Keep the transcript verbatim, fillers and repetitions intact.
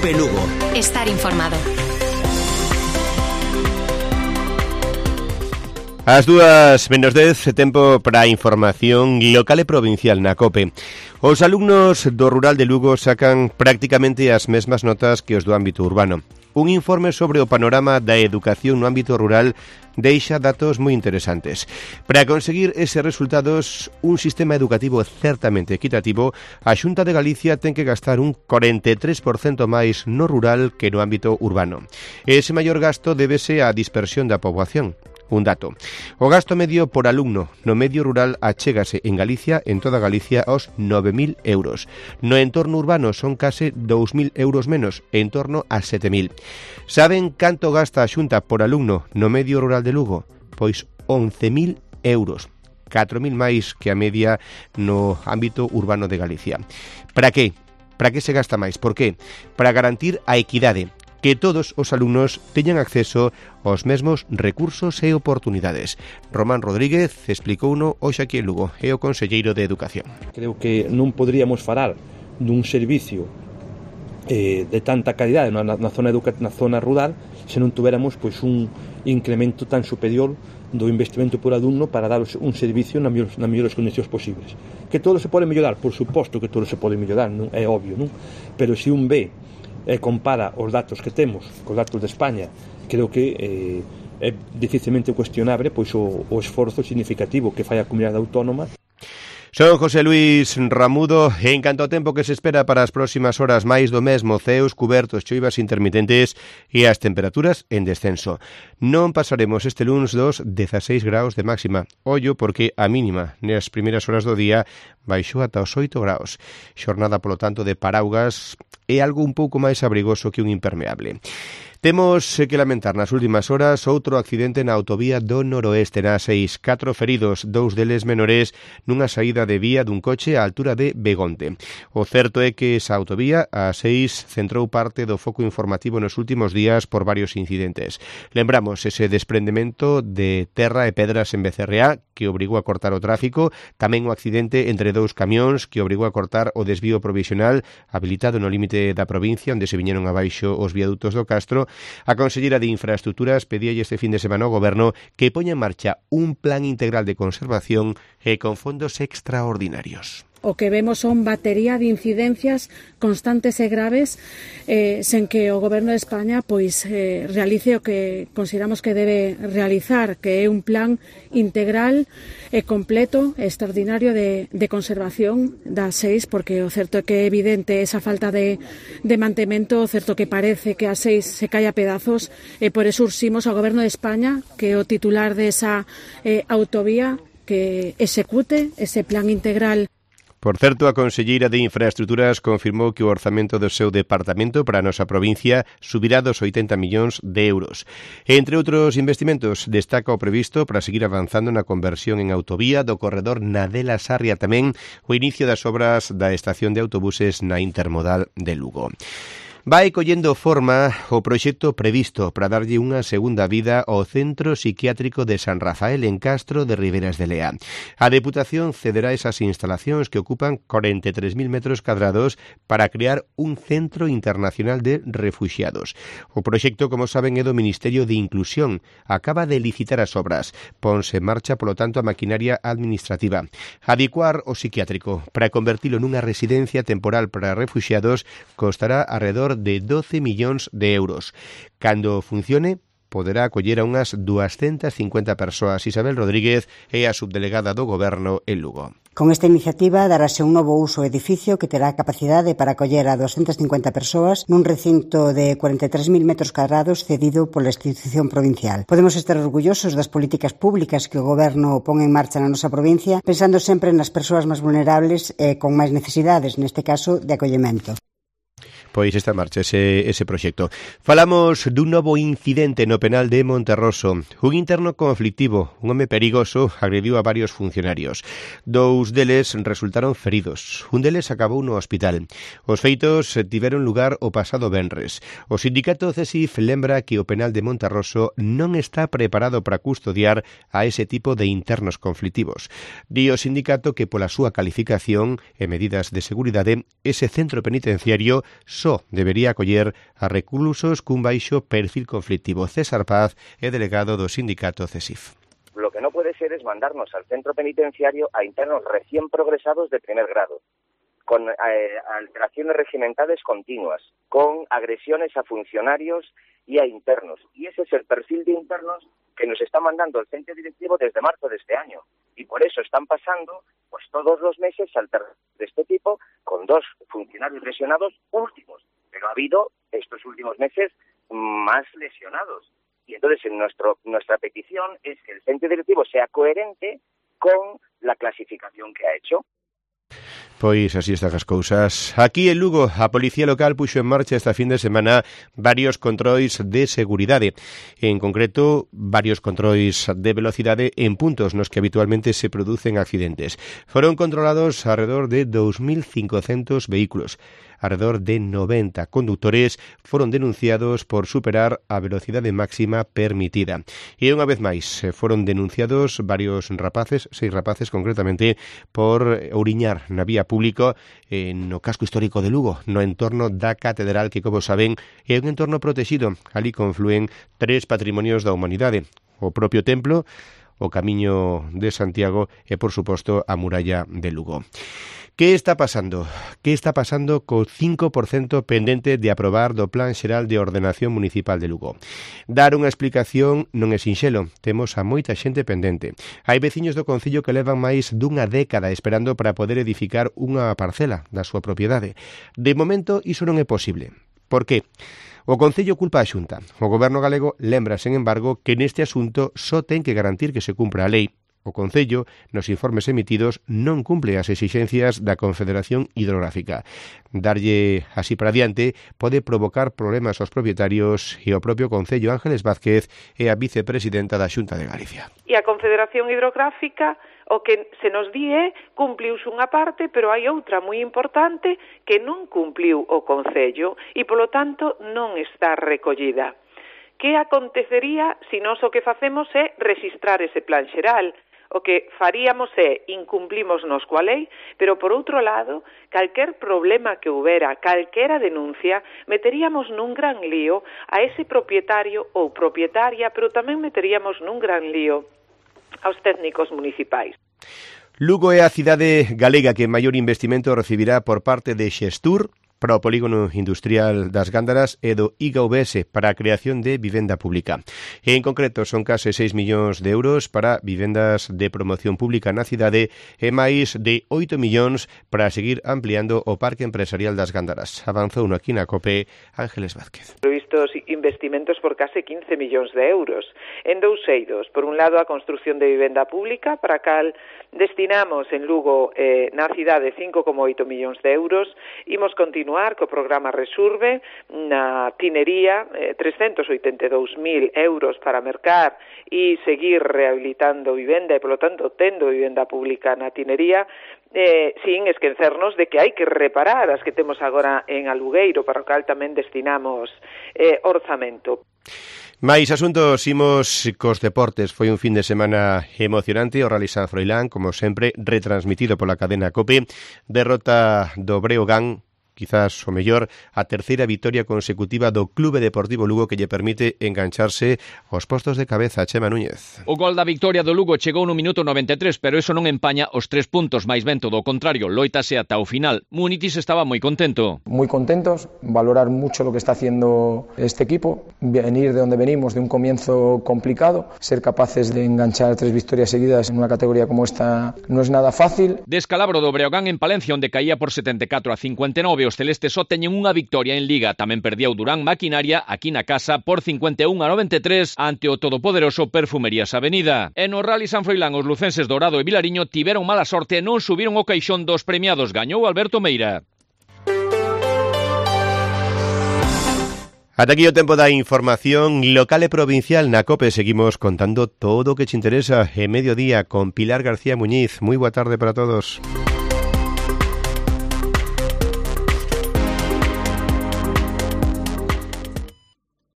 COPE Lugo. Estar informado. As dúas menos dez, tempo para a información local e provincial na COPE. Os alumnos do rural de Lugo sacan prácticamente as mesmas notas que os do ámbito urbano. Un informe sobre o panorama da educación no ámbito rural deixa datos moi interesantes. Para conseguir eses resultados, un sistema educativo certamente equitativo, a Xunta de Galicia ten que gastar un cuarenta e tres por cento máis no rural que no ámbito urbano. Ese maior gasto débese á dispersión da poboación. Un dato. O gasto medio por alumno no medio rural achégase en Galicia, en toda Galicia, aos nove mil euros. No entorno urbano son case dous mil euros menos, en torno a sete mil. Saben canto gasta a Xunta por alumno no medio rural de Lugo? Pois once mil euros. catro mil máis que a media no ámbito urbano de Galicia. Para que? Para que se gasta máis? Por que? Para garantir a equidade, que todos os alumnos teñan acceso aos mesmos recursos e oportunidades. Román Rodríguez explicouno hoxe aquí en Lugo, é o conselleiro de Educación. Creo que non poderíamos falar dun servicio eh, de tanta calidade na, na, zona educa- na zona rural se non tuveramos pois, un incremento tan superior do investimento por alumno para dar un servicio nas mellores, nas mellores condicións posibles. Que todo se pode mellorar, por suposto que todo se pode mellorar, non? É obvio, non? Pero se un ve e compara os datos que temos cos datos de España, creo que eh, é dificilmente cuestionable pois o, o esforzo significativo que fai a comunidade autónoma. Son José Luis Ramudo. En canto ao tempo que se espera para as próximas horas, máis do mesmo, ceos cubertos, choivas intermitentes e as temperaturas en descenso. Non pasaremos este luns dos dezaseis graus de máxima. Ollo porque a mínima nas primeiras horas do día baixou ata os oito graus. Xornada, polo tanto, de paraugas e algo un pouco máis abrigoso que un impermeable. Temos que lamentar nas últimas horas outro accidente na autovía do Noroeste, na seis. Catro feridos, dous deles menores, nunha saída de vía dun coche á altura de Begonte. O certo é que esa autovía, a seis, centrou parte do foco informativo nos últimos días por varios incidentes. Lembramos ese desprendemento de terra e pedras en Becerreá, que obrigou a cortar o tráfico, tamén o accidente entre dous camións que obrigou a cortar o desvío provisional habilitado no límite da provincia, onde se viñeron abaixo os viadutos do Castro. A conselleira de Infraestructuras pedía este fin de semana ao Goberno que poña en marcha un plan integral de conservación e con fondos extraordinarios. O que vemos son batería de incidencias constantes e graves eh, sen que o Goberno de España pois eh, realice o que consideramos que debe realizar, que é un plan integral e completo e extraordinario de, de conservación das seis, porque o certo é que é evidente esa falta de, de mantemento, o certo que parece que a seis se cae a pedazos, e por eso urximos ao Goberno de España, que é o titular de esa eh, autovía, que execute ese plan integral. Por certo, a conselleira de Infraestructuras confirmou que o orzamento do seu departamento para a nosa provincia subirá dos oitenta millóns de euros. Entre outros investimentos, destaca o previsto para seguir avanzando na conversión en autovía do corredor Nadela-Sarria, tamén o inicio das obras da estación de autobuses na intermodal de Lugo. Vai collendo forma o proxecto previsto para darlle unha segunda vida ao Centro Psiquiátrico de San Rafael en Castro de Riberas de Lea. A Deputación cederá esas instalacións que ocupan cuarenta e tres mil metros cadrados para crear un centro internacional de refuxiados. O proxecto, como saben, é do Ministerio de Inclusión. Acaba de licitar as obras. Ponse en marcha, polo tanto, a maquinaria administrativa. Adecuar o psiquiátrico para convertilo nunha residencia temporal para refuxiados costará alrededor de doce millóns de euros. Cando funcione, poderá acoller a unhas doscientas cincuenta persoas. Isabel Rodríguez é a subdelegada do Goberno en Lugo. Con esta iniciativa darase un novo uso ao edificio que terá capacidade para acoller a doscientas cincuenta persoas nun recinto de cuarenta e tres mil metros cadrados cedido pola institución provincial. Podemos estar orgullosos das políticas públicas que o Goberno pon en marcha na nosa provincia, pensando sempre nas persoas máis vulnerables e con máis necesidades, neste caso de acollemento. Pois está en marcha ese, ese proxecto. Falamos dun novo incidente no penal de Monterroso. Un interno conflictivo, un home perigoso, agrediu a varios funcionarios. Dous deles resultaron feridos. Un deles acabou no hospital. Os feitos tiveron lugar o pasado venres. O sindicato C E S I F lembra que o penal de Monterroso non está preparado para custodiar a ese tipo de internos conflictivos. Di o sindicato que pola súa calificación e medidas de seguridade, ese centro penitenciario só debería acoller a reclusos cun baixo perfil conflictivo. César Paz é delegado do sindicato CESIF. Lo que no puede ser es mandarnos al centro penitenciario a internos recién progresados de primer grado, con eh, alteraciones regimentales continuas, con agresiones a funcionarios y a internos. Y ese es el perfil de internos que nos está mandando el centro directivo desde marzo de este año. Y por eso están pasando pues todos los meses alteraciones de este tipo con dos funcionarios lesionados últimos. Pero ha habido estos últimos meses más lesionados. Y entonces en nuestro, nuestra petición es que el centro directivo sea coherente con la clasificación que ha hecho. Pois así están as cousas. Aquí en Lugo, a Policía Local puxo en marcha esta fin de semana varios controis de seguridade. En concreto, varios controis de velocidade en puntos nos que habitualmente se producen accidentes. Foron controlados alrededor de dos mil cincocentos vehículos. Alrededor de noventa conductores foron denunciados por superar a velocidade máxima permitida. E unha vez máis, foron denunciados varios rapaces, seis rapaces concretamente, por ouriñar na vía pública no casco histórico de Lugo, no entorno da Catedral, que, como saben, é un entorno protegido. Ali conflúen tres patrimonios da humanidade: o propio templo, o Camiño de Santiago e, por suposto, a muralla de Lugo. Que está pasando? Que está pasando co cinco por cento pendente de aprobar do Plan Xeral de Ordenación Municipal de Lugo? Dar unha explicación non é sinxelo, temos a moita xente pendente. Hai veciños do concello que levan máis dunha década esperando para poder edificar unha parcela da súa propiedade. De momento, iso non é posible. Por que? O Concello culpa a Xunta. O Goberno galego lembra, sen embargo, que neste asunto só ten que garantir que se cumpra a lei. O Concello, nos informes emitidos, non cumple as exixencias da Confederación Hidrográfica. Darlle así para diante pode provocar problemas aos propietarios e ao propio Concello. Ángeles Vázquez é a vicepresidenta da Xunta de Galicia. E a Confederación Hidrográfica o que se nos di é cumpliuse unha parte, pero hai outra moi importante que non cumpliu o Concello e, polo tanto, non está recollida. Que acontecería se nós o que facemos é registrar ese plan xeral? O que faríamos é incumplimos nos coa lei, pero por outro lado, calquer problema que houbera, calquera denuncia, meteríamos nun gran lío a ese propietario ou propietaria, pero tamén meteríamos nun gran lío aos técnicos municipais. Lugo é a cidade galega que maior investimento recibirá por parte de Xestur para o polígono industrial das Gándaras e do I G V S para a creación de vivenda pública. E en concreto son case seis millóns de euros para vivendas de promoción pública na cidade e máis de oito millóns para seguir ampliando o parque empresarial das Gándaras. Avanzou no aquí na COPE Ángeles Vázquez. Previstos investimentos por case quince millóns de euros en dous eidos. Por un lado, a construción de vivenda pública, para a cal destinamos en Lugo eh, na cidade cinco coma oito millóns de euros. Imos continuar co programa Resurbe na Tinería, eh, trescentos oitenta e dous mil euros para mercar e seguir rehabilitando vivenda e, polo tanto, tendo vivenda pública na Tinería, eh, sin esquecernos de que hai que reparar as que temos agora en Alugueiro, para o cal tamén destinamos eh, orzamento. Mais asuntos, imos cos deportes. Foi un fin de semana emocionante. O Rally San Froilán, como sempre, retransmitido pola cadena COPE. Derrota do Breogán, quizás o mellor, a terceira vitoria consecutiva do Clube Deportivo Lugo, que lle permite engancharse aos postos de cabeza. Chema Núñez. O gol da victoria do Lugo chegou no minuto noventa e tres, pero eso non empaña os tres puntos, máis ben todo o contrario, loítase ata o final. Munitis estaba moi contento. Muy contentos, valorar mucho lo que está haciendo este equipo, venir de donde venimos, de un comienzo complicado, ser capaces de enganchar tres victorias seguidas en una categoría como esta no es nada fácil. Descalabro do Breogán en Palencia, onde caía por setenta e catro a cincuenta e nove. Os celestes só teñen unha victoria en Liga. Tamén perdía o Durán Maquinaria aquí na casa por cincuenta e un a noventa e tres ante o todopoderoso Perfumerías Avenida. E no Rally San Froilán, os lucenses Dourado e Vilariño tiveron mala sorte e non subiron o caixón dos premiados. Gañou Alberto Meira. Ata aquí o tempo da información local e provincial na COPE. Seguimos contando todo o que te interesa en mediodía con Pilar García Muñiz. Moi boa tarde para todos.